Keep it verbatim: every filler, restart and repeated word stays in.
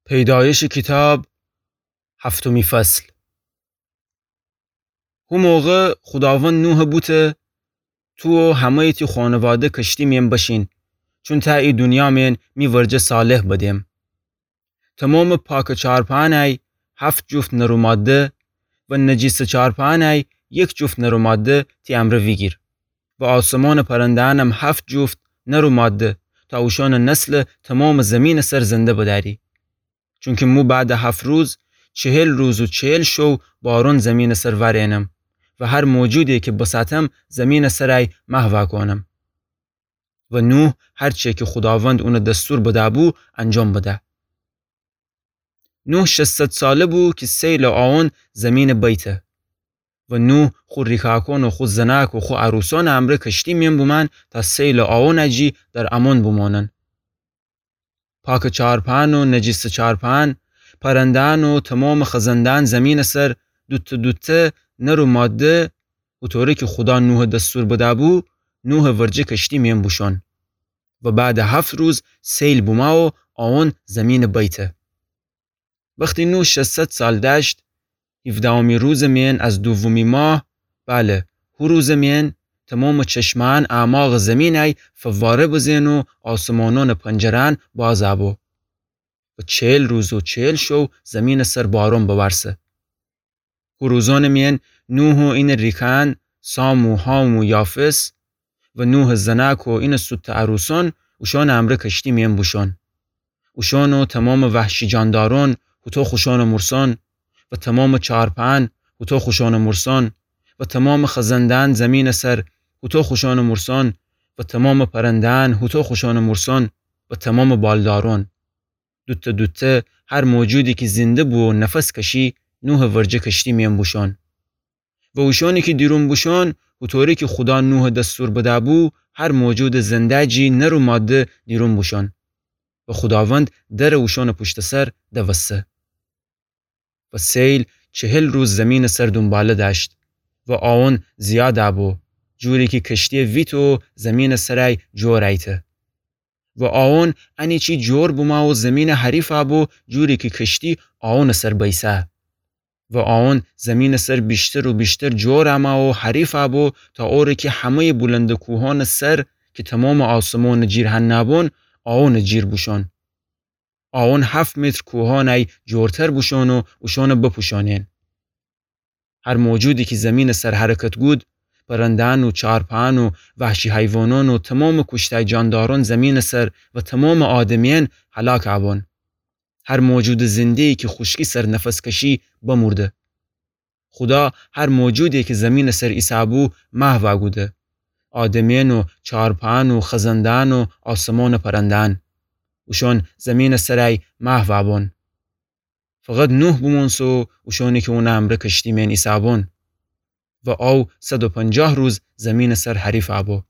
پیدایشٚ کیتاب، هفتمی فصل. هو موقع خوداوند نوحَ بوته: تو و همه‌یٚ تی خونواده کشتی مئن بشین، چون تأ ای دونیا مئن می ورجه صالح بدم. تومامٚ پاکٚ چارپایأنَی هفت جفت نر و ماده و نجیسٚ چارپایأنَی یک جفت نر و ماده تی امرأ ویگیر و آسمانٚ پرنده‌یأنم هفت جفت نر و ماده، تا اوشأنٚ نسل تومامٚ زیمینٚ سر زنده بدأری. چونکی مو بعدٚ هفت روز، چهل روز و چهل شو بارون زیمینٚ سر وأرینم و هر موجودی کی بساتم زیمینٚ سرَی محوَ کونم. و نوح هر چی کی خوداوند اونَ دستور بده‌بو انجام بده. نوح ششصد ساله بو کی سیلٚ آون زیمینَ بیته. و نوح خو ریکاکون و خو زناک و خو عروسأنٚ امرأ کشتی مئن بومأن تا سیلٚ آونَ جی در امون بومانن. پاکٚ چارپایأن و نجیسٚ چارپایأن، پرنده‌یأن و تومامٚ خزنده‌یأن زیمینٚ سر، دوتأ دوتأ، نر و ماده، هوطوری کی خودا نوحَ دستور بده‌بو، نوحٚ ورجه کشتی مئن بوشون. و بعدٚ هفت روز سیل بومه و آون زیمینَ بیته. وختی نوح ششصد سال دأشت، هیفدهمی روزٚ مئن از دومی ماه، بله، هو روزٚ مئن، تومامٚ چشمه‌یأن اعماقٚ زیمینَی فواره بزه‌ن و آسمانأنٚ پنجره‌یأن باز بو. و چهل روز و چهل شو زیمینٚ سر بارون بوأرسه. هو روزأنٚ مئن نوح و اینٚ ریکأن، سام و حام و یافث، و نوحٚ زناک و اینٚ سوتأ عروسأن، اوشأنٚ امرأ کشتی مئن بوشون. اوشأن و تومامٚ وحشی جاندارأن، هوطو خوشأنٚ مورسأن، و تومامٚ چارپایأن، هوطو خوشأنٚ مورسأن، و تومامٚ خزنده‌یأن زیمینٚ سر، هوطو خوشأنٚ مورسأن، و تومامٚ پرنده‌یأن، هوطو خوشأنٚ مورسأن، و تومامٚ بالدارأن، دوتأ دوتأ، هر موجودی کی زنده بو و نفس کشی، نوحٚ ورجه کشتی مئن بوشون. و اوشأنی کی دیرون بوشون، هوطوری کی خودا نوحَ دستور بده‌بو، هر موجودٚ زنده جی نر و ماده دیرون بوشون. و خوداوند درَ اوشأنٚ پوشتٚ سر دوسته. و سیل چهل روز زیمینٚ سر دونباله دأشت. و آون زیاد بو، جوری کی کشتی ویت و زیمینٚ سرَی جور ایته. و آون انیچی جور بومه و زیمینَ حریف بو، جوری کی کشتی آونٚ سر بیسه. و آون زیمینٚ سر ویشتر و ویشتر جور امه و حریف بو، تا اوره کی همه‌یٚ بولندٚ کوهأنٚ سر کی تومامٚ آسمانٚ جیر هنَ بون، آونٚ جیر بوشون. آون هفت متر کوهأنَی جورتر بوشون و اوشأنَ بپوشانین. هر موجودی کی زیمینٚ سر حرکت گود، پرنده‌یأن و چارپایأن و وحشی حیوانأن و تومامٚ کوشته‌ی جاندارأن زیمینٚ سر و تومامٚ آدمیأن هلاک بون. هر موجودٚ زنده‌یی کی خوشکی سر نفس کشی، بمورده. خودا هر موجودی کی زیمینٚ سر ایسه‌بو، محو کوده. آدمیأن و چارپایأن و خزنده‌یأن و آسمانٚ پرنده‌یأن. اوشأن زیمینٚ سرَی محو بون. فقط نوح بومونسه و اوشأنی کی اونٚ امرأ کشتی میأن ایسه‌بون. و او صد و پنجاه روز زیمینٚ سر حریف بو.